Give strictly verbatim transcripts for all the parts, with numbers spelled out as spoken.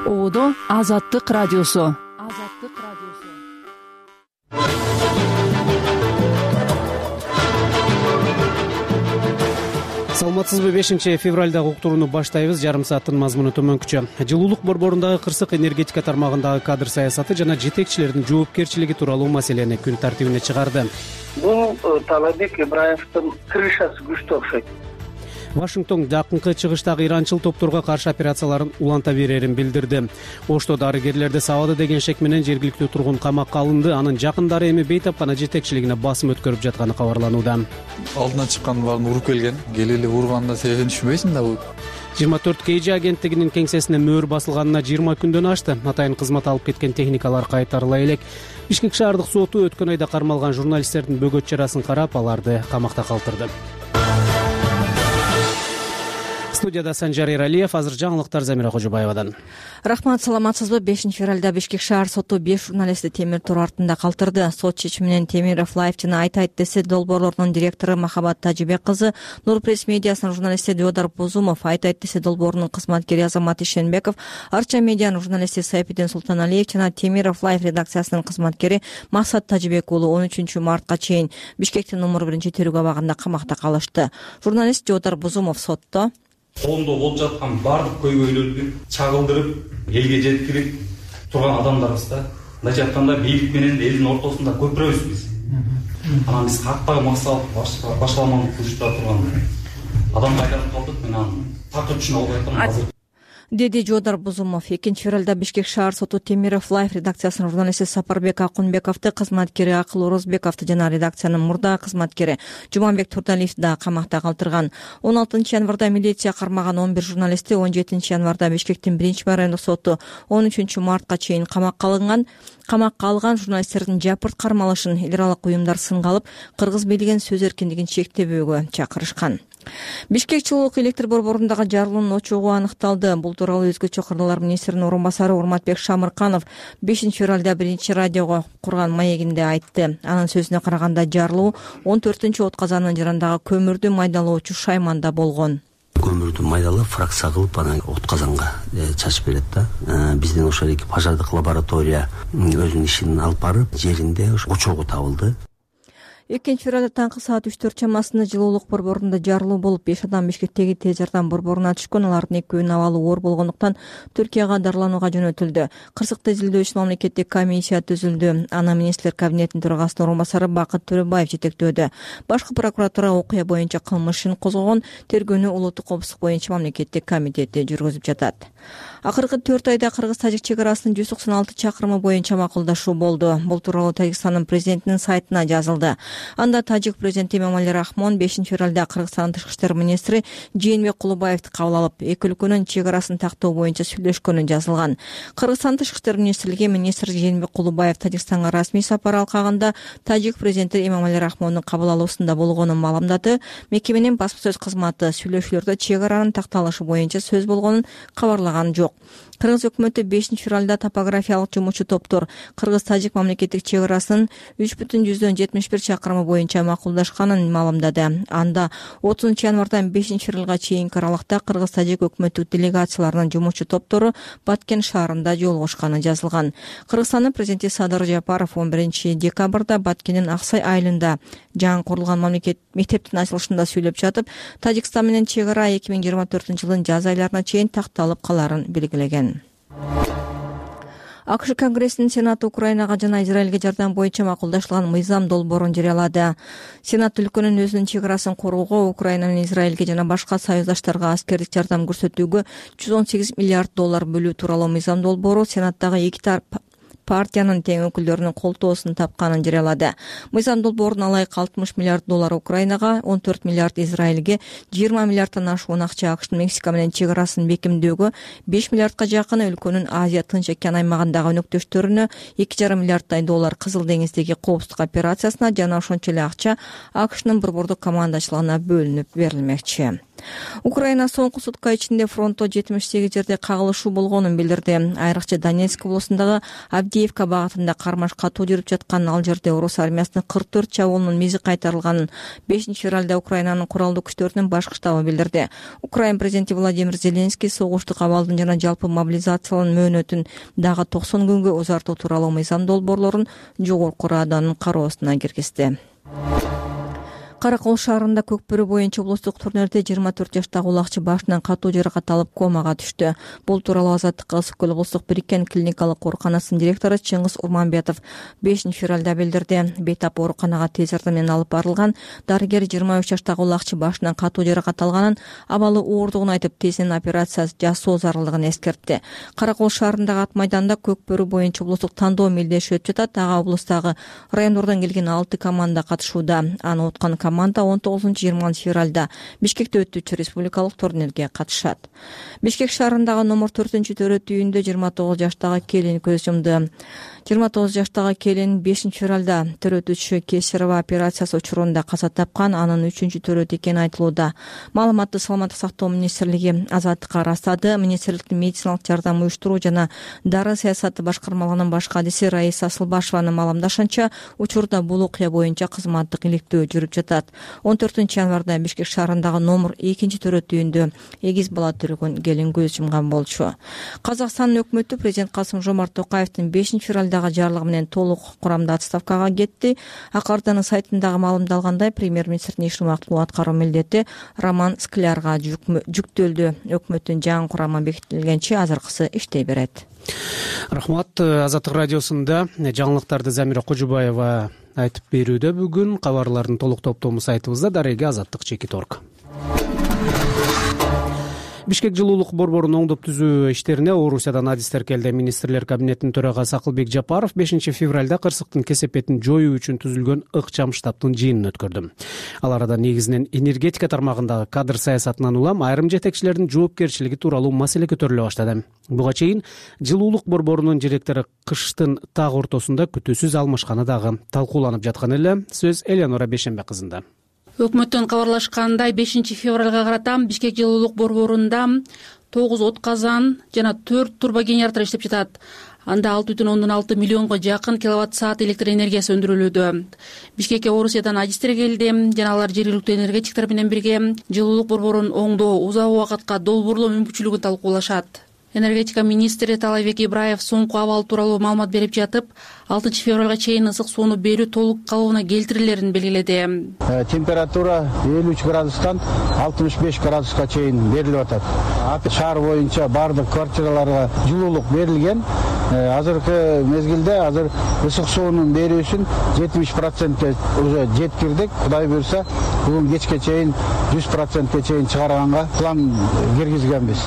Оодо Азаттык радиосу. Азаттык радиосу. Саламатсызбы? бешинчи февралдагы уктурууну баштайбыз. Жарым сааттын мазмуну төмөнкүчө. Жылуулук борборундагы кырсык энергетика тармагындагы кадр саясаты жана жетекчилердин жоопкерчилиги тууралуу маселени күн тартибине чыгарды. Бул Талабек Ибраевдин крышасы күчтүү окшойт. Вашингтон жакынкы чыгыштагы иранчыл топторго каршы операцияларын уланта берерин билдирди. Ошто дарыгерлерди сабады деген шек менен жергиликтүү тургун камакка алынды. Анын жакындары эми бейтапкана жетекчилигине басым өткөрүп жатканы кабарланууда. Алдынан чыккан баарын уруп келген. Келе эле урганында себебин түшүнбөйсүң да. жыйырма төрт кей жи агенттигинин кеңсесине мөөр басылганына жыйырма күндөн ашты. Атайын кызмат алып кеткен техникалар кайтарыла элек. Бишкек шаардык соту өткөн айда кармалган журналисттердин бөгөт чарасын карап, аларды камакта калтырды. Студияда Санжар Эралиев, азыр жаңылыктар Замира Кожобаевадан. Рахмат, саламатсызбы? бешинчи февралда Бишкек шаар соту беш журналистти темир тор артында калтырды. Сот чечиминен Темиров Лайф жана Айт Айт десе долбоорлорунун директору Махабат Тажибек кызы, Нур пресс медиасынын журналисти Дёдар Бузумов, Айт Айт десе долбоорунун кызматкери Азамат Ишенбеков, Арча медианын журналисти Сайпидин Султаналиев жана Темиров Лайф редакциясынын кызматкери Максат Тажибек уулу он үчүнчү мартка чейин Бишкектин номер биринчи тергөө абагында камакта калышты. Журналист Дёдар Бузумов сотто колунда болуп жаткан баардык көйгөйлөрдү чагылдырып, элге жеткирип турган адамдарбыз да. Мындайча айтканда бийлик менен элдин ортосунда көпүрөбүз биз. Анан биз каттагы максат башаламандык кылышта турган адамга айланып калдык. Мен аны так түшүнө албай атам азыр. Деди Дёдар Бузумов. экинчи февралда Бишкек шаар соту Темиров Лайф редакциясынын журналисти Сапарбек Акунбековду, кызматкери Акыл Орозбековду жана редакциянын мурдагы кызматкери Жуманбек Турдалиевди да камакта калтырган. он алтынчы январда милиция кармаган он бир журналисти он жетинчи январда Бишкектин биринчи райондук соту он үчүнчү мартка чейин камакка алынган. Камакка алган журналисттердин жапырт кармалышын эл аралык уюмдар сынга алып, кыргыз бийлигин сөз эркиндигин чектебөөгө чакырышкан. Бишкек жылуулук электр борборундагы жарылуунун очогу аныкталды. Бул тууралуу өзгөчө кырлар министринин орун басары Урматбек Шамырканов бешинчи февралда биринчи радиого курган маегинде айтты. Анын сөзүнө караганда жарылуу он төртүнчү от казанынын жарандагы көмүрдү майдалоочу шайманда болгон. Көмүрдү майдалап, фракция кылып, анан от казанга чачып берет да. Бизден ошол эки пожардык лаборатория өзүнүн ишин алып барып, жеринде очогу табылды. экинчи февралда таңкы саат үч төрт чамасында жылуулук борборунда жарылуу болуп, беш адам Бишкектеги тез жардам борборуна түшкөн. Алардын экөөнүн абалы оор болгондуктан Түркияга дарыланууга жөнөтүлдү. Кырсыкты изилдөө үчүн мамлекеттик комиссия түзүлдү. Аны министрлер кабинетинин төрагасынын орун басары Бакыт Төрөбаев жетектөөдө. Башкы прокуратура окуя боюнча кылмыш ишин козгогон, тергөөнү улуттук коопсуздук боюнча мамлекеттик комитети жүргүзүп жатат. Акыркы төрт айда кыргыз-тажик чек арасынын жүз токсон алты чакырымы боюнча макулдашуу болду. Бул тууралуу Тажикстандын президентинин сайтына жазылды. Анда тажик президенти Эмомали Рахмон бешинчи февралда Кыргызстандын тышкы иштер министри Жээнбек Кулубаевди кабыл алып, эки өлкөнүн чек арасын тактоо боюнча сүйлөшкөнү жазылган. Кыргызстандын тышкы иштер министрлиги министр Жээнбек Кулубаев Тажикстанга расмий сапар алкагында тажик президенти Эмомали Рахмондун кабыл алуусунда болгонун маалымдады. Мекеменин басма сөз кызматы сүйлөшүүлөрдө чек аранын такталышы боюнча сөз болгонун кабарлаган жок. Кыргыз өкмөтү бешинчи февралда топографиялык жумушчу топтор Кыргыз-Тажик мамлекеттик чек арасынын үч бүтүн жүздөн жетимиш бир чакырымы боюнча макулдашканын маалымдады. Анда отузунчу январдан бешинчи февралга чейинки аралыкта Кыргыз-Тажик өкмөттүк делегацияларынын жумушчу топтору Баткен шаарында жолугушканы жазылган. Кыргызстандын президенти Садыр Жапаров он биринчи декабрда Баткендин Аксай айылында жаңы курулган мамлекет мектептин ачылышында сүйлөп жатып, Тажикстан менен чек ара эки миң жыйырма төртүнчү жылдын жаз айларына чейин такталып каларын белгилеген. АКШ Конгрессинин Сенаты Украинага жана Израилге жардам боюнча макулдашылган мыйзам долбоорун жарыялады. Сенат өлкөнүн өзүнүн чек арасын коргоого, Украина менен Израилге жана башка союздаштарга аскердик жардам көрсөтүүгө жүз он сегиз миллиард доллар бөлүү тууралуу мыйзам долбоору Сенаттагы эки тарап партиянын тең өкүлдөрүнүн колтоосун тапканын жарыялады. Мыйзам долбоорун алайык алтымыш миллиард доллар Украинага, он төрт миллиард Израилге, жыйырма миллиарддан ашуун акча АКШтын Мексика менен чек арасын бекемдөөгө, беш миллиардка жакын өлкөнүн Азия Тынч океан аймагындагы өнөктөштөрүнө, эки жарым миллиарддай доллар Кызыл деңиздеги коопсуздук операциясына жана ошончо эле акча АКШнын борбордук командачылыгына бөлүнүп берилмекчи. Украина соңку сутка ичинде фронтто жетимиш сегиз жерде кагылышуу болгонун билдирди. Айрыкча Донецк облусундагы Авдеевка багытында кармаш катуу жүрүп жаткан, ал жерде орус армиясынын кырк төрт чабуулунун мизи кайтарылганын бешинчи февралда Украинанын куралдуу күчтөрүнүн башкы штабы билдирди. Украин президенти Владимир Зеленский согуштук абалдын жана жалпы мобилизациянын мөөнөтүн дагы токсон күнгө узартуу тууралуу мыйзам долбоорлорун жогорку Раданын кароосуна киргизди. Кара Кол шаарында Көкбөрү боюнча облустук турнирде жыйырма төрт жаштагы улакчы башынан катуу жаракат алып комага түштү. Бул тууралуу Азаттыкка Ысык көл облустук бириккен клиникалык ооруканасынын директору Чыңгыз Урманбетов бешинчи февралда билдирди. Бейтап ооруканага тез жардам менен алып барылган. Дарыгер жыйырма үч жаштагы улакчы башынан катуу жаракат алганын, абалы ооругун айтып, тезинен операция жасоо зарылдыгын эскертти. Кара Кол шаарындагы ат майданда Көкбөрү боюнча облустук тандоо мелдеши өтүп жатат. Ага облустагы райондордон келген алты команда катышууда. Аны уткан команда он тогузунчу жыйырманчы февралда Бишкекте өтүүчү республикалык турнирге катышат. Бишкек шаарындагы номер төртүнчү төрөт үйүндө жыйырма тогуз жаштагы келин көз жумду. жыйырма тогуз жаштагы келин бешинчи февралда төрөтүүчү Кесарова операциясы учурунда каза тапкан, анын үчүнчү төрөт экени айтылууда. Маалыматты саламаттык сактоо министрлиги Азаттыкка ырастады. Министрликтин медициналык жардам уюштуруу жана дары саясаты башкармалыгынын баш кадиси Раиса Асылбашеванын маалымдашынча, учурда бул окуя боюнча кызматтык иликтөө жүрүп жатат. он төртүнчү январда Бишкек шаарындагы номер экинчи төрөт үйүндө эгиз бала төрөгөн келин көз жумган болчу. Казакстандын өкмөтү президент Касым Жомарт Токаевдин бешинчи февралдагы жарлыгы менен толук курамда отставкага кетти. Акарданын сайтындагы маалымдалгандай, премьер-министрдин иш убактылуу аткаруу милдети Роман Склярга жүктөлдү. Өкмөттүн жаңы курамы бекитилгенче азыркысы иштей берет. Рахмат. Азаттык радиосунда жаңылыктарды Замира Кожубаева айтып берүүдө. Бүгүн кабарлардын толук топтому сайтыбызда. Дареги Азаттык чекит точка орг. Бишкек жылуулук борборун оңдоп түзүү иштерине Орусиядан адистер келди. Министрлер кабинетинин төрагасы Акылбек Жапаров бешинчи февралда кырсыктын кесепетин жоюу үчүн түзүлгөн ыкчам штабтын жыйынын өткөрдү. Ал арада негизинен энергетика тармагындагы кадр саясатынан улам айрым жетекчилердин жоопкерчилиги тууралуу маселе көтөрүлө баштады. Буга чейин жылуулук борборунун директору кыштын так ортосунда күтүүсүз алмашканы дагы талкууланып жаткан эле. Сөз Элеонора Бешенбе кызында. Өкмөттөн кабарлашкандай, бешинчи февралга карата Бишкек жылуулук борборунда тогуз отказан жана төрт турбогенератор иштеп жатат. Анда алты бүтүн ондон алты миллионго жакын киловатт саат электр энергиясы өндүрүлүүдө. Бишкекке Орусиядан адистер келди жана алар жергиликтүү энергетиктер менен бирге жылуулук борборун оңдоо, узак убакытка долбоорлоо мүмкүнчүлүгүн талкуулашат. Энергетика министри Талайбек Ибраев соңку абал тууралуу маалымат берип жатып, алтынчы февралга чейин ысык сууну берүү толук калыбына келтирилерин белгиледи. Температура элүү үч градустан алтымыш беш градуска чейин берилип атат. Шаар боюнча бардык квартираларга жылуулук берилген. Азыркы мезгилде азыр ысык суунун берүүсүн жетимиш процентке уже жеткирдик. Кудай буйрса, бүгүн кечке чейин жүз процентке чейин чыгарганга план киргизгенбиз.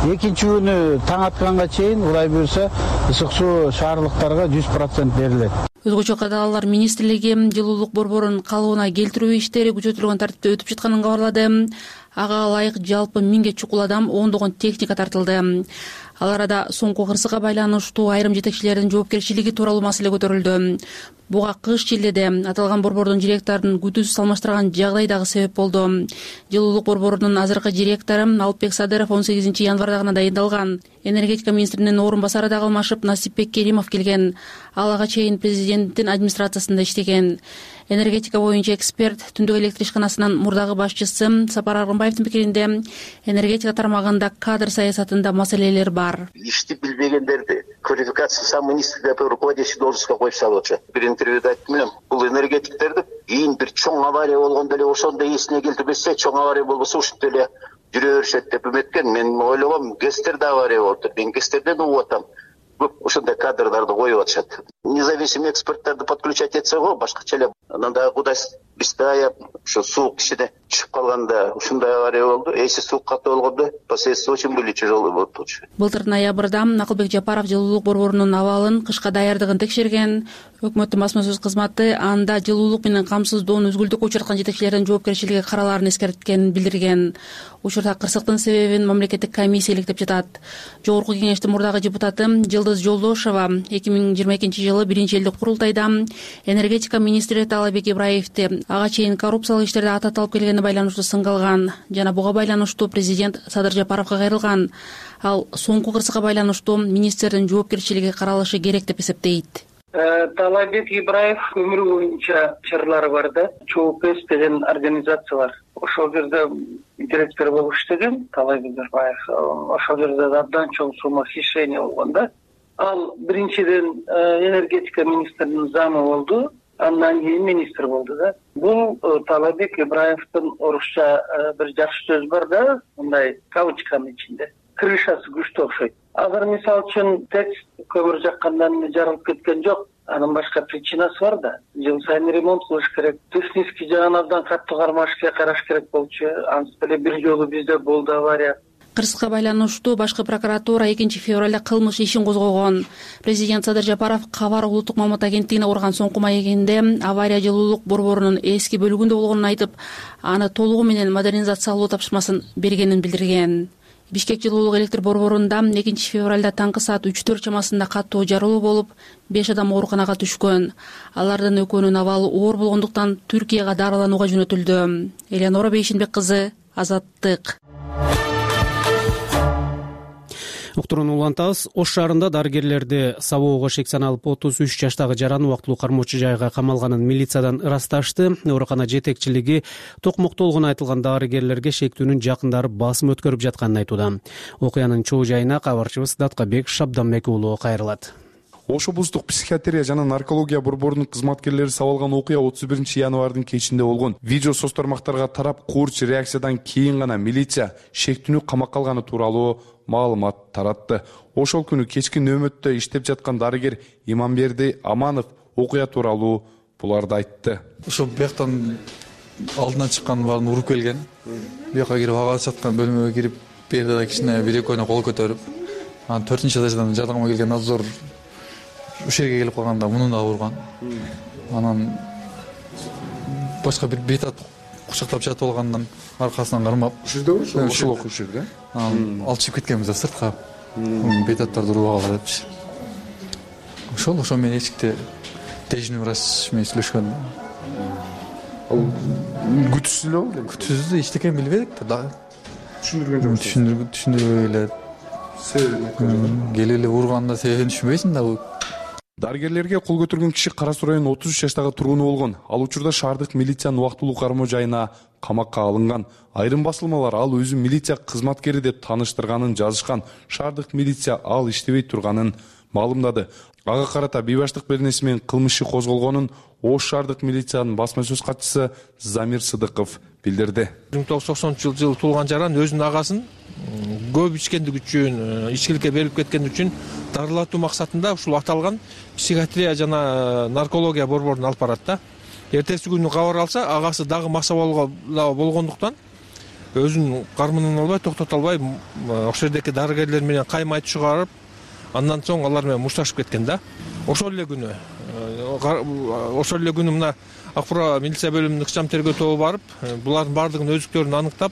Экинчи күнү таң атканга чейин Кудай буйрса ысык суу шаарлыктарга жүз процент берилет. Өзгөчө кадалар министрлиги жылуулук борборун калыбына келтирүү иштери күчөтүлгөн тартипте өтүп жатканын кабарлады. Ага ылайык жалпы миңге чукул адам, ондогон техника тартылды. Ал арада соңку кырсыкка байланыштуу айрым жетекчилердин жоопкерчилиги тууралуу маселе көтөрүлдү. Буга кыш чилдеде аталган борбордун директорун күтүүсүз алмаштырган жагдай дагы себеп болду. Жылуулук борборунун азыркы директору Алпбек Садыров он сегизинчи январда гана дайындалган. Энергетика министринин орун басары дагы алмашып, Насипбек Керимов келген. Ал ага чейин президенттин администрациясында иштеген. Энергетика боюнча эксперт Түндүк электр ишканасынын мурдагы башчысы Сапар Аргынбаевдин пикиринде, энергетика тармагында кадр саясатында маселелер бар. Ишти билбегендерди квалификация сам министрликте руководящий должностька коюп салып атышат. Бир интервьюда айттым элем, бул энергетиктерди кийин бир чоң авария болгондо эле ошондо эсине келтирбесе, чоң авария болбосо ушинтип эле жүрө беришет деп үмүткөн. Мен ойлогом, ГЭСтерде авария болуптур. Мен ГЭСтерден угуп атам. Көп ушундай кадрдарды коюп атышат. Независимый эксперттерди подключать этсе го башкача эле. Анан дагы Кудай бизде ушу суук кичине чыгып калганда ушундай авария болду. Эси суук катуу болгондо последствия очень были тяжелые болуп болчу. Былтыр ноябрда Акылбек Жапаров жылуулук борборунун абалын, кышка даярдыгын текшерген. Өкмөттүн басма сөз кызматы анда жылуулук менен камсыздоонун үзгүлтүккө учурткан жетекчилердин жоопкерчилиги каралаарын эскерткенин билдирген. Учурда кырсыктын себебин мамлекеттик комиссия иликтеп жатат. Жогорку кеңештин мурдагы депутаты Жылдыз Жолдошова эки миң жыйырма экинчи жылы биринчи элдик курултайда энергетика министри Таалайбек Ибраевди ага чейин коррупциялык иштерде ата алып келгенине байланыштуу сынга алган жана буга байланыштуу президент Садыр Жапаровго кайрылган. Ал соңку кырсыкка байланыштуу министрдин жоопкерчилиги каралышы керек деп эсептейт. Таалайбек Ибраев өмүрү боюнча чырлары бар да, ЧООПС деген организация бар. Ошол жерде директор болуп иштеген Таалайбек Ибраев. Ошол жерде абдан чоң сумма хищение болгон да. Ал биринчиден энергетика министринин замы болду, андан кийин министр болду да. Бул Таалайбек Ибраевдин орусча бир жакшы сөз бар да, мындай кавычканын ичинде. Крышасы күчтүү окшойт. Азыр мисалы үчүн текст көмүр жаккандан жарылып кеткен жок. Анын башка причинасы бар да. Жыл сайын ремонт кылыш керек. Технический жагын абдан катуу кармаш керек, караш керек болчу. Антип эле бир жолу бизде болду авария. Кырсыкка байланыштуу башкы прокуратура экинчи февралда кылмыш ишин козгогон. Президент Садыр Жапаров Кабар улуттук маалымат агенттигине урган соңку маегинде авария жылуулук борборунун эски бөлүгүндө болгонун айтып, аны толугу менен модернизациялоо тапшырмасын бергенин билдирген. Бишкек жылуулук электр борборунда экинчи февралда таңкы саат үч төрт чамасында катуу жарылуу болуп, беш адам ооруканага түшкөн. Алардын экөөнүн абалы оор болгондуктан Түркияга дарыланууга жөнөтүлдү. Элеонора Бейшенбек кызы, Азаттык. Уктурууну улантабыз. Ош шаарында дарыгерлерди сабоого шек саналып отуз үч жаштагы жаран убактылуу кармоочу жайга камалганын милициядан ырасташты. Оорукана жетекчилиги токмоктолгону айтылган дарыгерлерге шектүүнүн жакындары басым өткөрүп жатканын айтууда. Окуянын чоо жайына кабарчыбыз Даткабек Шабданбек уулу кайрылат. Ош облустук психиатрия жана наркология борборунун кызматкерлери сабалган окуя отуз биринчи январдын кечинде болгон. Видео соц тармактарга тарап, куурч реакциядан кийин гана милиция шектүүнү камакка алганы тууралуу маалымат таратты. Ошол күнү кечки нөөмөттө иштеп жаткан дарыгер Иманберди Аманов окуя тууралуу буларды айтты. Ошо бияктан алдынан чыккан баарын уруп келген. Бияка кирип ага жаткан бөлмөгө кирип, берде кичине бир экөөнө кол көтөрүп, анан төртүнчү этаждан жардамга келген надзор ушул жерге келип калганда муну да урган. Анан башка бир бейтат кучактап жатып алгандан аркасынан кармап, ушул жерде ушул окуу жерде анан алып чыгып кеткенбиз да сыртка. Бейтаттарды уруп алгыла депчи. Ошол ошо менен эшикте тежин врач менен сүйлөшкөн. Ал күтүсүз эле болду. Күтүсүз эчтеке билбедик да. Түшүндүргөн жок. Түшүндүргөн түшүндүрбөй эле. Себеби келип эле урганда себебин түшүнбөйсүң да. Дарыгерлерге кол көтөргөн киши Кара Суу районунун отуз үч жаштагы тургуну болгон. Ал учурда шаардык милициянын убактылуу кармоо жайына камакка алынган. Айрым басылмалар ал өзү милиция кызматкери деп тааныштырганын жазышкан. Шаардык милиция ал иштебей турганын маалымдады. Ага карата бейбаштык беренеси менен кылмыш иши козголгонун Ош шаардык милициянын басма сөз катчысы Замир Сыдыков билдирди. миң тогуз жүз токсонунчу жылы туулган жаран өзүнүн агасын көп ичкендик үчүн, ичкиликке берилип кеткен үчүн дарылатуу максатында ушул аталган психиатрия жана наркология борборунун алып барат да. Эртеси күнү кабар алса, агасы дагы маса болгондуктан өзүнүн кармынын албай, токтото албай, ошол жердеки дарыгерлер менен кайма айтып чыгарып, андан соң алар менен мушташып кеткен да. Ошол эле күнү, ошол эле күнү мына Акбура милиция бөлүмүнүн ыкчам тергөө тобу барып, булардын баардыгынын өздүктөрүн аныктап,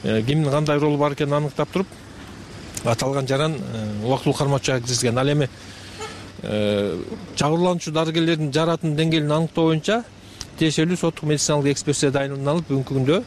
кимдин кандай ролу бар экенин аныктап туруп, аталган жаран убактылуу кармоочуга киргизген. Ал эми жабырлануучу дарыгерлердин жаратынын деңгээлин аныктоо боюнча тиешелүү соттук медициналык экспертиза дайындалып, бүгүнкү күндө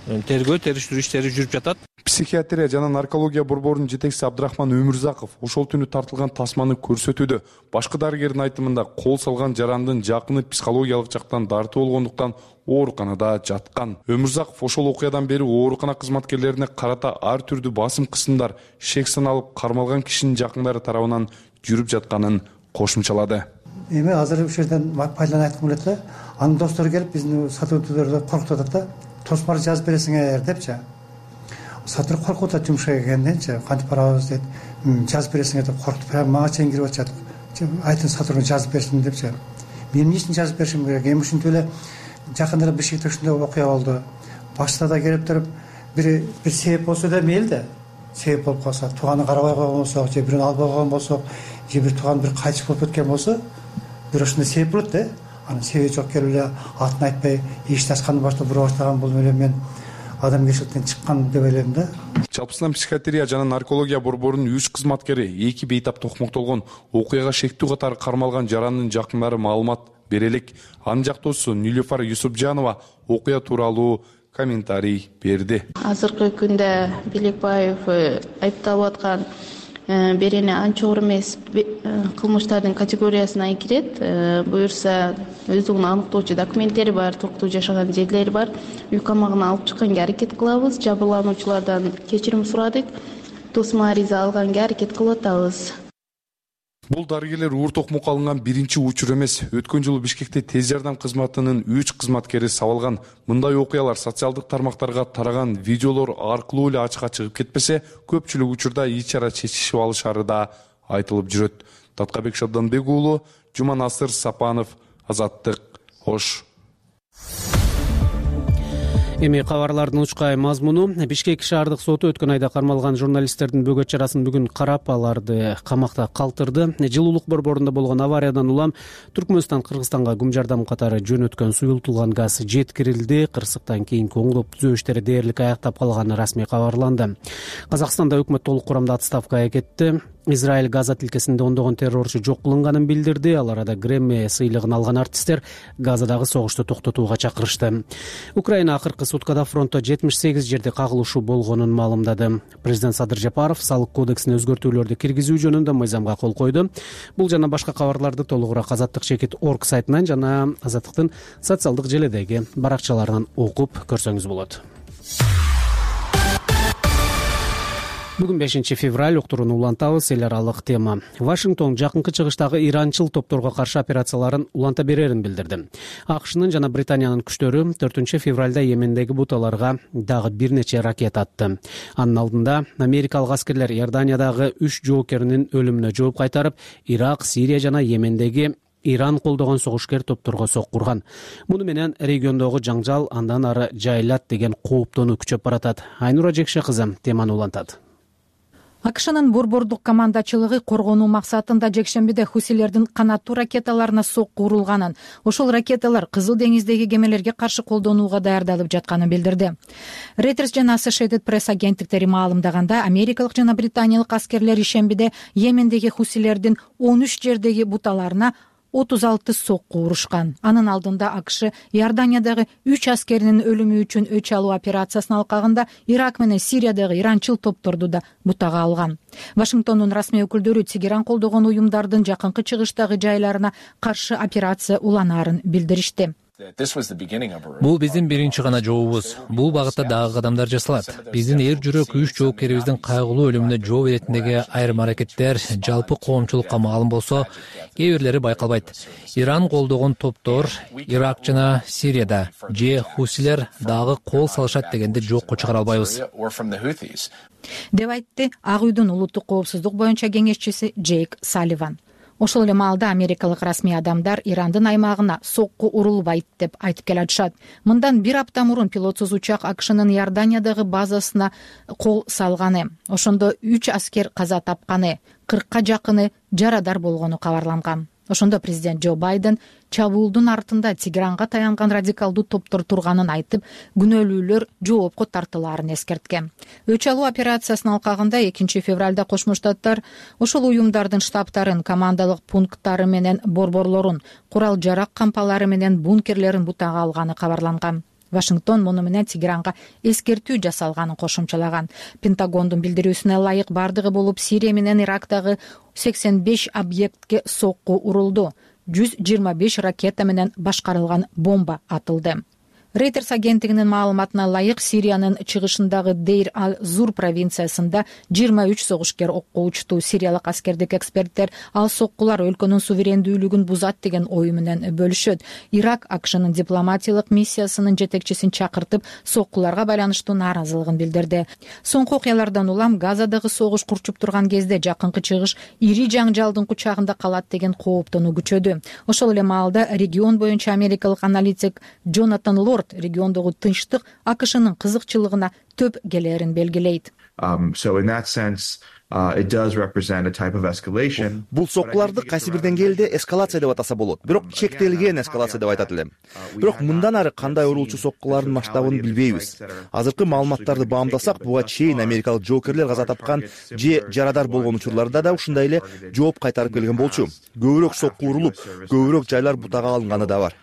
тергөө териштирүү иштери жүрүп жатат. Психиатрия жана наркология борборунун жетекчиси Абдрахман Өмүрзаков ошол түнү тартылган тасманы көрсөтүүдө. Башкы дарыгердин айтымында кол салган жарандын жакыны психологиялык жактан дарты болгондуктан ооруканада жаткан. Өмүрзаков ошол окуядан бери оорукана кызматкерлерине карата ар түрдүү басым кысымдар, шек саналып кармалган кишинин жакындары тарабынан жүрүп жатканын кошумчалады. Эми азыр ушул жерден пайдаланып айткым келет да, анын достору келип биздин сотрудниктөрдү коркутуп атат да. Тосмар жазып бересиңер депчи. Сотрудник коркуп атат жумушка келгенденчи, кантип барабыз дейт. Жазып бересиңер деп коркутуп, прямо мага чейин кирип атышат. Айтын сотрудник жазып берсин депчи. Мен эмне үчүн жазып беришим керек? Эми ушинтип эле жакында Бишкекте ушундай окуя болду. Башта да келип туруп, бир бир себеп болсо да мейли да. Себеп болуп калса, тууганы карабай койгон болсок, же бирөөнү албай койгон болсок, же бир тууган бир кайтыш болуп кеткен болсо, бир ушундай себеп болот да. Анын себеби жок келип эле атын айтпай, ишти ачкандан баштап бура баштаган бул эле мен адамгерчиликтен чыккан деп ойлойм да. Жалпысынан психиатрия жана наркология борборунун үч кызматкери эки бейтап токмоктолгон. Окуяга шектүү катары кармалган жарандын жакындары маалымат бере элек. Анын жактоосу Нилюфар Юсупжанова окуя тууралуу комментарий берди. Азыркы күндө Белекбаев айыпталып аткан берене анча оор эмес кылмыштардын категориясына кирет. Буюрса өздүгүн аныктоочу документтери бар, токтуу жашаган жерлери бар. Үй камагына алып чыкканга аракет кылабыз. Жабырлануучулардан кечирим сурадык. Тосмо ариза алганга аракет кылып атабыз. Бул дарыгерлер уур токмокко алынган биринчи учур эмес. Өткөн жылы Бишкекте тез жардам кызматынын үч кызматкери сабалган. Мындай окуялар социалдык тармактарга тараган видеолор аркылуу эле ачыкка чыгып кетпесе, көпчүлүк учурда ич-чара чечишип алышары да айтылып жүрөт. Таткабек Шабданбек уулу, Жуманасыр Сапанов, Азаттык, Ош. Эми кабарлардын учкай мазмуну. Бишкек шаардык соту өткөн айда кармалган журналисттердин бөгөт чарасын бүгүн карап, аларды камакта калтырды. Жылуулук борборунда болгон авариядан улам Түркмөнстан Кыргызстанга күм жардам катары жөнөткөн суюлтулган газ жеткирилди. Кырсыктан кийинки оңдоп түзөө иштери дээрлик аяктап калганы расмий кабарланды. Казакстанда өкмөт толук курамда отставкага кетти. Израиль Газа тилкесинде ондогон террорчу жок кылынганын билдирди. Ал арада Грэмми сыйлыгын алган артисттер Газадагы согушту токтотууга чакырышты. Украина акыркы суткада фронтто жетимиш сегиз жерде кагылышуу болгонун маалымдады. Президент Садыр Жапаров салык кодексине өзгөртүүлөрдү киргизүү жөнүндө мыйзамга кол койду. Бул жана башка кабарларды толугураак Азаттык чекит орг сайтынан жана Азаттыктын социалдык желедеги баракчаларынан окуп көрсөңүз болот. Бүгүн бешинчи февраль, уктурууну улантабыз. Эл аралык тема. Вашингтон жакынкы чыгыштагы иранчыл топторго каршы операцияларын уланта берерин билдирди. АКШнын жана Британиянын күчтөрү төртүнчү февралда Йемендеги буталарга дагы бир нече ракета атты. Анын алдында америкалык аскерлер Иорданиядагы үч жоокеринин өлүмүнө жооп кайтарып, Ирак, Сирия жана Йемендеги Иран колдогон согушкер топторго сок курган. Муну менен региондогу жаңжал андан ары жайылат деген кооптонуу күчөп баратат. Айнура Жекше кызы теманы улантат. АКШнын борбордук командачылыгы коргонуу максатында жекшембиде хусилердин канаттуу ракеталарына сокку урулганын, ошол ракеталар Кызыл деңиздеги кемелерге каршы колдонууга даярдалып жатканын билдирди. Reuters жана Associated Press агенттиктери маалымдаганда, америкалык жана британиялык аскерлер ишембиде Йемендеги хусилердин он үч жердеги буталарына отуз алты сокку урушкан. Анын алдында АКШ Иорданиядагы үч аскеринин өлүмү үчүн өч алуу операциясынын алкагында Ирак менен Сириядагы иранчыл топторду да бутага алган. Вашингтондун расмий өкүлдөрү Тегеран колдогон уюмдардын жакынкы чыгыштагы жайларына каршы операция уланаарын билдиришти. Бул биздин биринчи гана жообубуз. Бул багытта дагы кадамдар жасалат. Биздин эр жүрөк үч жоокерибиздин кайгылуу өлүмүнө жооп иретиндеги айрым аракеттер жалпы коомчулукка маалым болсо, кээ бирлери байкалбайт. Иран колдогон топтор Ирак жана Сирияда же хусилер дагы кол салышат дегенди жокко чыгара албайбыз, деп айтты Ак үйдүн улуттук коопсуздук боюнча кеңешчиси Джейк Салливан. Ошол эле маалда америкалык расмий адамдар Ирандын аймагына сокку урулбайт деп айтып келатышат. Мындан бир апта мурун пилотсуз учак АКШнын Иорданиядагы базасына кол салганы, ошондо үч аскер каза тапканы, кыркка жакыны жарадар болгону кабарланган. Ошондо президент Джо Байден чабуулдун артында Тегеранга таянган радикалдуу топтор турганын айтып, күнөөлүүлөр жоопко тартылаарын эскерткен. Өч алуу операциясынын алкагында экинчи февралда Кошмо Штаттар ошол уюмдардын штабтарын, командалык пункттары менен борборлорун, курал жарак кампалары менен бункерлерин бутага алганы кабарланган. Вашингтон муну менен Тегеранга эскертүү жасалганын кошумчалаган. Пентагондун билдирүүсүнө ылайык бардыгы болуп Сирия менен Ирактагы сексен беш объектке сокку урулду. жүз жыйырма беш ракета менен башкарылган бомба атылды. Reuters агенттигинин маалыматына ылайык Сириянын чыгышындагы Дейр ал-Зур провинциясында жыйырма үч согушкер окко учту. Сириялык аскердик эксперттер ал соккулар өлкөнүн суверендүүлүгүн бузат деген ою менен бөлүшөт. Ирак АКШнын дипломатиялык миссиясынын жетекчисин чакыртып, соккуларга байланыштуу нааразылыгын билдирди. Соңку окуялардан улам Газадагы согуш курчуп турган кезде жакынкы чыгыш ири жаңжалдын кучагында калат деген кооптонуу күчөдү. Ошол эле маалда регион боюнча америкалык аналитик Джонатан Лорд региондогу тынчтык АКШнын кызыкчылыгына төп келерин белгилейт. Бул соккуларды кайсы бир деңгээлде эскалация деп атаса болот, бирок чектелген эскалация деп айтат элем. Бирок мындан ары кандай урулчу соккулардын масштабын билбейбиз. Азыркы маалыматтарды баамдасак, буга чейин америкалык жоокерлер каза тапкан же жарадар болгон учурларда да ушундай эле жооп кайтарып келген болчу. Көбүрөөк сокку урулуп, көбүрөөк жайлар бутага алынганы да бар.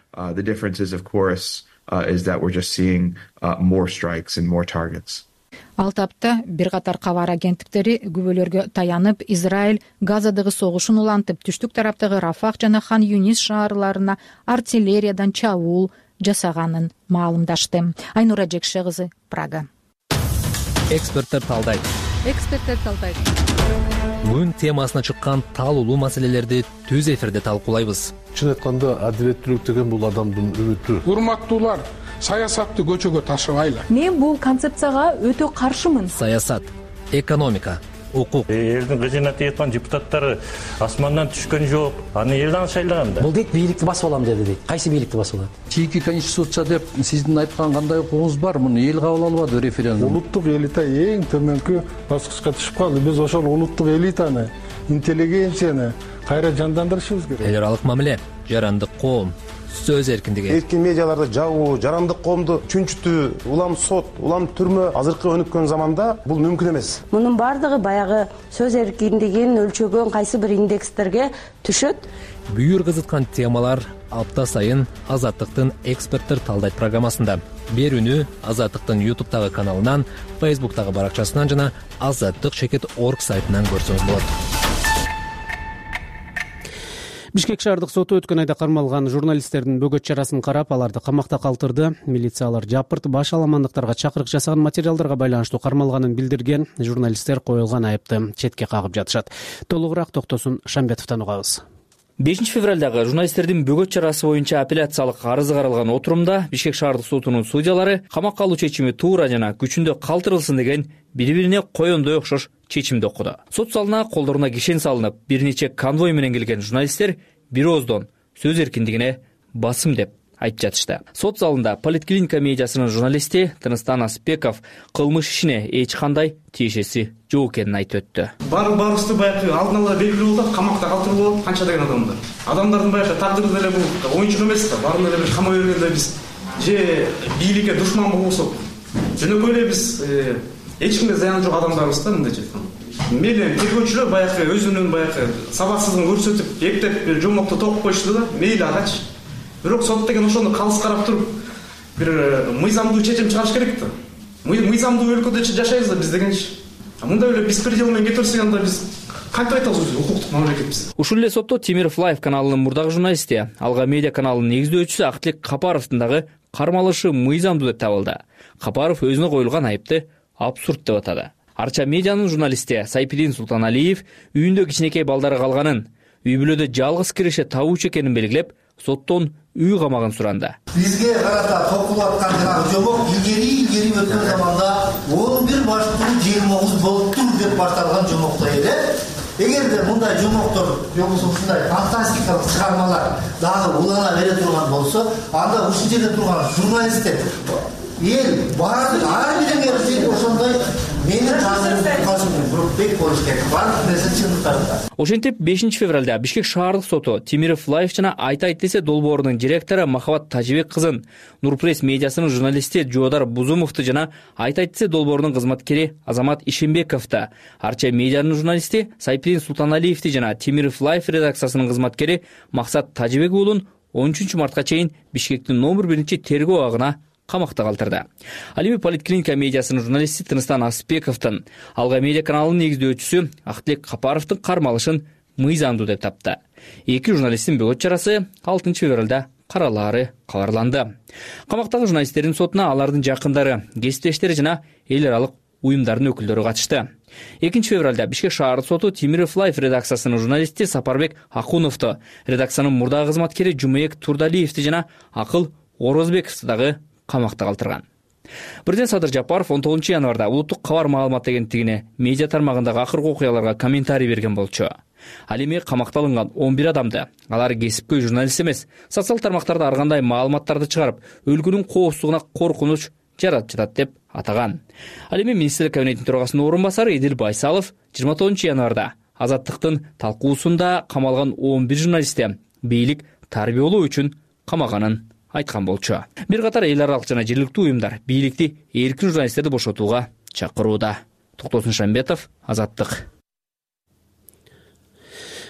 Ал тапта бир катар кабар агенттиктери күбөлөргө таянып, Израиль Газадагы согушун улантып, түштүк тараптагы Рафах жана Хан Юнис шаарларына артиллериядан чабуул жасаганын маалымдашты. Айнура Жекше кызы, Прага. Эксперттер талдайт. Эксперттер талдайт. Бүгүн темасына чыккан талуулуу маселелерди түз эфирде талкуулайбыз. Чын айтканда, адилеттүүлүк деген бул адамдын үмүтү. Урматтуулар, саясатты көчөгө ташыбайлы. Мен бул концепцияга өтө каршымын. Саясат, экономика, укук. Элдин кызыйнаты эткан депутаттары асмандан түшкөн жок. Аны элдин шайлаган да. Бул дейт бийликти басып алам деди дейт. Кайсы бийликти басып алат? Чийки конституция деп сиздин айткан кандай укугуңуз бар? Муну эл кабыл албады референдум. Улуттук элита эң төмөнкү баскычка түшүп калды. Биз ошол улуттук элитаны, интеллигенцияны кайра жандандырышыбыз керек. Эл аралык мамиле, жарандык коом, сөз эркиндиги. Эркин медиаларды жабуу, жарандык коомду чүнчүтүү, улам сот, улам түрмө азыркы өнүккөн заманда бул мүмкүн эмес. Мунун бардыгы баягы сөз эркиндигин өлчөгөн кайсы бир индекстерге түшөт. Бүйүр кызыткан темалар апта сайын Азаттыктын эксперттер талдайт программасында. Берүүнү Азаттыктын ютубтагы каналынан, фейсбуктагы баракчасынан жана азаттык чекит точка орг сайтынан көрсөңүз болот. Бишкек шаардык соту өткөн айда кармалган журналисттердин бөгөт чарасын карап, аларды камакта калтырды. Милициялар жапырт баш аламандыктарга чакырык жасаган материалдарга байланыштуу кармалганын билдирген. Журналисттер коюлган айыпты четке кагып жатышат. Толугураак Токтосун Шамбетовдон угабыз. бешинчи февралдагы журналисттердин бөгөт чарасы боюнча апелляциялык арызы каралган отурумда Бишкек шаардык сотунун судьялары камакка алуу чечими туура жана күчүндө калтырылсын деген бири-бирине коёндой окшош чечимди окуду. Сот залына колдоруна кишен салынып, бир нече конвой менен келген журналисттер бир ооздон сөз эркиндигине басым деп айтып жатышты. Сот залында Политклиника медиасынын журналисти Тыныстан Аспеков кылмыш ишине эч кандай тиешеси жок экенин айтып өттү. Баарыбызды баягы алдын ала белгилүү болду, камакта калтырылып болот, канча деген адамдар. Адамдардын баягы тагдыры деле бул оюнчук эмес да, баарын эле бир камай бергенде биз же бийликке душман болсок, жөнөкөй эле биз эч кимге зыяны жок адамдарбыз да, мындайча айтканда. Мейли тергөөчүлөр баягы өзүнүн баягы сабаксыздыгын көрсөтүп, эптеп жомокту токуп койушту да, мейли агачы. Бирок сот деген ошону калыс карап туруп, бир мыйзамдуу чечим чыгарыш керек да. Мыйзамдуу өлкөдө жашайбыз да биз дегенчи. Мындай эле беспредел менен кете берсек анда биз кантип айтабыз өзү укуктук мамлекетпиз. Ушул эле сотто Темиров Лайв каналынын мурдагы журналисти, Алга медиа каналынын негиздөөчүсү Актилек Капаровдун дагы кармалышы мыйзамдуу деп табылды. Капаров өзүнө коюлган айыпты абсурд деп атады. Арча медианын журналисти Сайпидин Султаналиев үйүндө кичинекей балдары калганын, үй бүлөдө жалгыз киреше табуучу экенин белгилеп, соттон үй камагын суранды. Бизге карата токулуп аткан жанагы жомок илгери илгери өткөн заманда он бир баштуу жыйырма тогуз болуптур деп башталган жомоктой эле. Эгерде мындай жомоктор же болбосо ушундай фантастикалык чыгармалар дагы улана бере турган болсо, анда ушул жерде турган журналисттер эл баардык ар биринге ошондой менин таасирим бек болуш керек. Баардык нерсе чындыктарда. Ошентип бешинчи февралда Бишкек шаардык соту Темиров Лайв жана Айтайт десе долбоорунун директору Махабат Тажибек кызын, Нурпресс медиасынын журналисти Жоодар Бузумовду жана Айтайт десе долбоорунун кызматкери Азамат Ишембековду, Арча медианын журналисти Сайпидин Султаналиевди жана Темиров Лайв редакциясынын кызматкери Максат Тажибек уулун он үчүнчү мартка чейин Бишкектин номер биринчи тергөө абагына камакта калтырды. Ал эми Политклиника медиасынын журналисти Тыныстан Аспековдун, Алга медиа каналынын негиздөөчүсү Актилек Капаровдун кармалышын мыйзамдуу деп тапты. Эки журналисттин бөгөт чарасы алтынчы февралда каралаары кабарланды. Камактагы журналисттердин сотуна алардын жакындары, кесиптештери жана эл аралык уюмдардын өкүлдөрү катышты. экинчи февралда Бишкек шаардык соту Темиров Лайв редакциясынын журналисти Сапарбек Акуновду, редакциянын мурдагы кызматкери Жумаек Турдалиевди жана Акыл Орозбековду дагы камакта калтырган. Бирден Садыр Жапаров он тогузунчу январда Улуттук кабар маалымат агенттигине медиа тармагындагы акыркы окуяларга комментарий берген болчу. Ал эми камакта алынган он бир адамды, алар кесипкөй журналист эмес, социал тармактарда ар кандай маалыматтарды чыгарып, өлкөнүн коопсуздугуна коркунуч жаратып жатат деп атаган. Ал эми министрлер кабинетинин төрагасынын орун басары Эдил Байсалов жыйырма тогузунчу январда Азаттыктын талкуусунда камалган он бир журналистти бийлик тарбиялоо үчүн камаганын айткан болчу. Бир катар эл аралык жана жергиликтүү уюмдар бийликти эркин журналисттерди бошотууга чакырууда. Токтосун Шамбетов, Азаттык.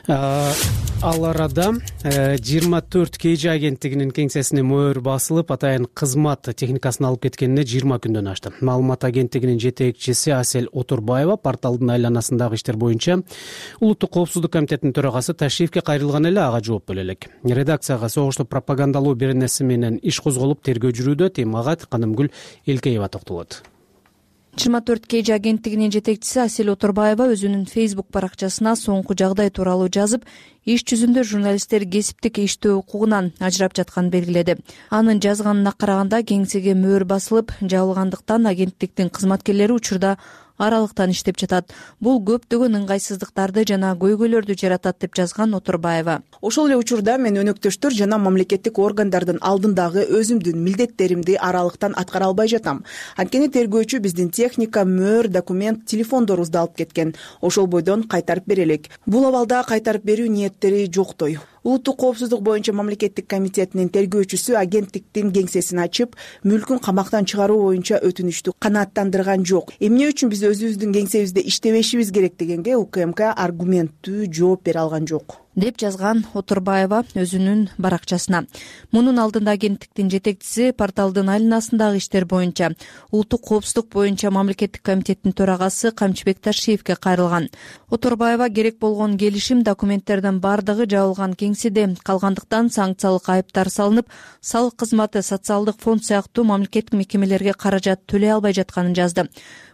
Ал арада жыйырма төрт кей жи агенттигинин кеңсесине мөөр басылып, атайын кызмат техникасын алып кеткенине жыйырма күндөн ашты. Маалымат агенттигинин жетекчиси Асель Отурбаева порталдын айланасындагы иштер боюнча Улуттук коопсуздук комитетинин төрагасы ташрифке кайрылган эле ага жооп бере элек. Редакцияга согушту пропагандалоо беренеси менен иш козголуп тергөө жүрүүдө. Темага Канымгүл Элкеева токтолот. жыйырма төрт кей жи агенттигинин жетекчиси Асель Отурбаева өзүнүн Facebook баракчасына соңку жагдай тууралуу жазып, иш жүзүндө журналисттер кесиптик иштөө укугунан ажырап жатканын белгиледи. Анын жазганына караганда кеңсеге мөөр басылып жабылгандыктан агенттиктин кызматкерлери учурда аралыктан иштеп жатат. Бул көптөгөн ыңгайсыздыктарды жана көйгөйлөрдү жаратат деп жазган Отурбаева. Ошол эле учурда мен өнөктөштөр жана мамлекеттик органдардын алдындагы өзүмдүн милдеттеримди аралыктан аткара албай жатам. Анткени тергөөчү биздин техника, мөөр, документ, телефондорубузду алып кеткен. Ошол бойдон кайтарып бере элек. Бул абалда кайтарып берүү ниеттери жоктой. Улуттук коопсуздук боюнча мамлекеттик комитетинин тергөөчүсү агенттиктин кеңсесин ачып, мүлкүн камактан чыгаруу боюнча өтүнүчтү канааттандырган жок. Эмне үчүн биз өзүбүздүн кеңсебизде иштебешибиз керек дегенге УКМК аргументтүү жооп бере алган жок деп жазган Отурбаева өзүнүн баракчасына. Мунун алдында агенттиктин жетекчиси порталдын айланасындагы иштер боюнча Улуттук коопсуздук боюнча мамлекеттик комитеттин төрагасы Камчыбек Ташиевке кайрылган. Отурбаева керек болгон келишим документтердин бардыгы жабылган кеңседе калгандыктан санкциялык айыптар салынып, салык кызматы, социалдык фонд сыяктуу мамлекеттик мекемелерге каражат төлөй албай жатканын жазды.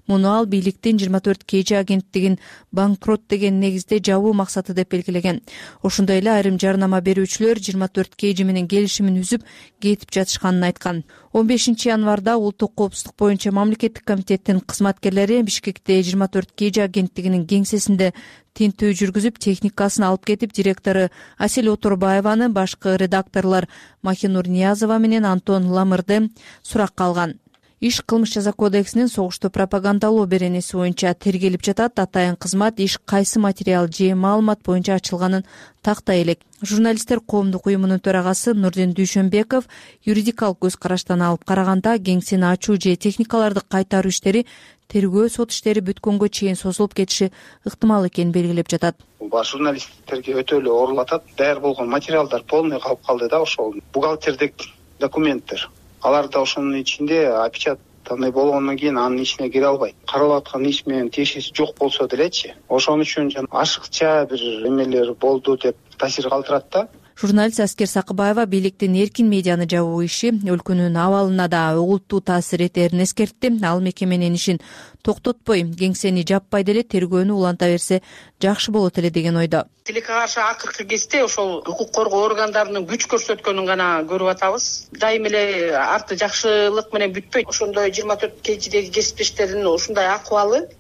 Муну ал бийликтин жыйырма төрт кей жи агенттигин банкрот деген негизде жабуу максаты деп белгилеген. Ошондой эле айрым жарнама берүүчүлөр жыйырма төрт кей жи менен келишимин үзүп кетип жатышканын айткан. он бешинчи январда Улуттук коопсуздук боюнча мамлекеттик комитеттин кызматкерлери Бишкекте жыйырма төрт кей жи агенттигинин кеңсесинде тинтүү жүргүзүп, техникасын алып кетип, директору Асель Отурбаеваны, башкы редакторлор Махинур Ниязова менен Антон Ламырды суракка алган. Иш кылмыш жаза кодексинин согушту пропагандалоо беренеси боюнча тергелип жатат. Атайын кызмат иш кайсы материал же маалымат боюнча ачылганын тактай элек. Журналисттер коомдук уюмунун төрагасы Нурдин Дүйшөнбеков юридикалык көз караштан алып караганда кеңсени ачуу же техникаларды кайтаруу иштери тергөө сот иштери бүткөнгө чейин созулуп кетиши ыктымал экенин белгилеп жатат. Бул журналисттерге өтө эле оорулатат. Даяр болгон материалдар полный калып калды да, ошол бухгалтердик документтер. Алар да ошонун ичинде опечатанный болгондон кийин анын ичине кире албайт. Каралып аткан иш менен тиешеси жок болсо делечи. Ошон үчүн ашыкча бир эмелер болду деп таасир калтырат да. Журналист Аскер Сакыбаева бийликтин эркин медианы жабуу иши өлкөнүн абалына да олуттуу таасир этерин эскертти. Ал мекеменин ишин токтотпой, кеңсени жаппай деле тергөөнү уланта берсе жакшы болот эле деген ойдо. Тилекке каршы акыркы кезде ошол укук коргоо органдарынын күч көрсөткөнүн гана көрүп атабыз. Дайым эле арты жакшылык менен бүтпөйт. Ошондой жыйырма төрт кей жидеги кесиптештердин ушундай акыбалы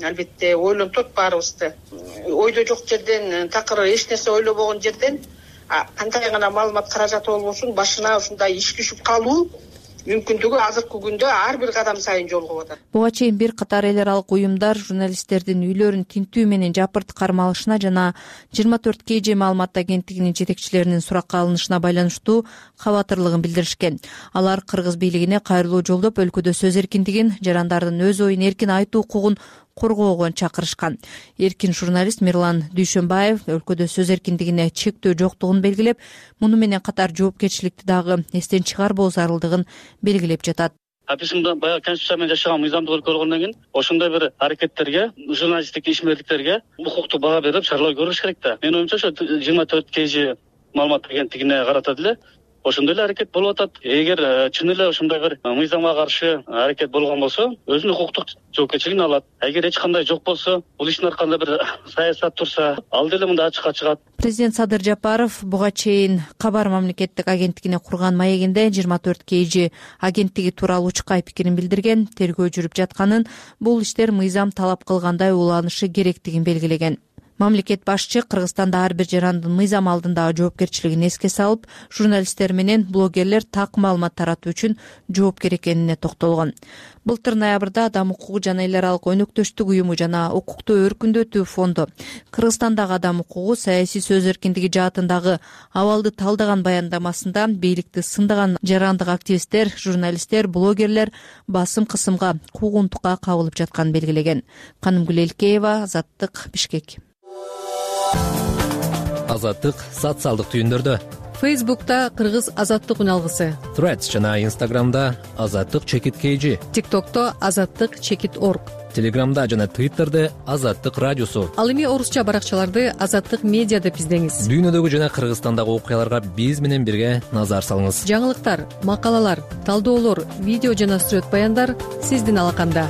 албетте ойлонтот баарыбызды. Ойдо жок жерден, такыр эч нерсе ойлобогон жерден кандай гана маалымат каражаты болбосун башына ушундай иш түшүп калуу мүмкүндүгү азыркы күндө ар бир кадам сайын жолугуп атат. Буга чейин бир катар эл аралык уюмдар журналисттердин үйлөрүн тинтүү менен жапырт кармалышына жана жыйырма төрт кей жи маалымат агенттигинин жетекчилеринин суракка алынышына байланыштуу кабатырлыгын билдиришкен. Алар кыргыз бийлигине кайрылуу жолдоп өлкөдө сөз эркиндигин, жарандардын өз оюн эркин айтуу укугун коргоого чакырышкан. Эркин журналист Мирлан Дүйшөнбаев өлкөдө сөз эркиндигине чектөө жоктугун белгилеп, муну менен катар жоопкерчиликти дагы эстен чыгарбоо зарылдыгын белгилеп жатат. Биз баягы конституция менен жашаган мыйзамдуулук көргөндөн кийин ошондой бир аракеттерге, журналисттик ишмерликтерге укуктуу баа берип шаралар көрүш керек да. Менин оюмча ошо жыйырма төрт кей жи маалымат агенттигине карата деле ошондой эле аракет болуп атат. Эгер чын эле ошондой бир мыйзамга каршы аракет болгон болсо, өзүнүн укуктук жоопкерчилигин алат. Эгер эч кандай жок болсо, бул иштин аркасында бир саясат турса, ал деле мында ачыкка чыгат. Президент Садыр Жапаров буга чейин Кабар мамлекеттик агенттигине курган маегинде жыйырма төрт кей жи агенттиги тууралуу учкай пикирин билдирген, тергөө жүрүп жатканын, бул иштер мыйзам талап кылгандай уланышы керектигин белгилеген. мамлекет башчы Кыргызстанда ар бир жарандын мыйзам алдындагы жоопкерчилигин эске салып, журналисттер менен блогерлер так маалымат таратуу үчүн жоопкер экенине токтолгон. Былтыр ноябрда Адам укугу жана эл аралык өнөктөштүк уюму жана Укукту өркүндөтүү фонду Кыргызстандагы адам укугу, саясий сөз эркиндиги жаатындагы абалды талдаган баяндамасында бийликти сындаган жарандык активисттер, журналисттер, блогерлер басым кысымга, куугунтукка кабылып жатканын белгилеген. Канымгүл Элкеева, Азаттык, Бишкек. Азаттык социалдык түйүндөрдө. Фейсбукта Кыргыз азаттык үналгысы, Threads жана Инстаграмда азаттык чекит kg, ТикТокто азаттык чекит орг, Телеграмда жана Твиттерде азаттык радиосу. Ал эми орусча баракчаларды азаттык медиа деп издеңиз. Дүйнөдөгү жана Кыргызстандагы окуяларга биз менен бирге назар салыңыз. Жаңылыктар, макалалар, талдоолор, видео жана сүрөт баяндар сиздин алаканда.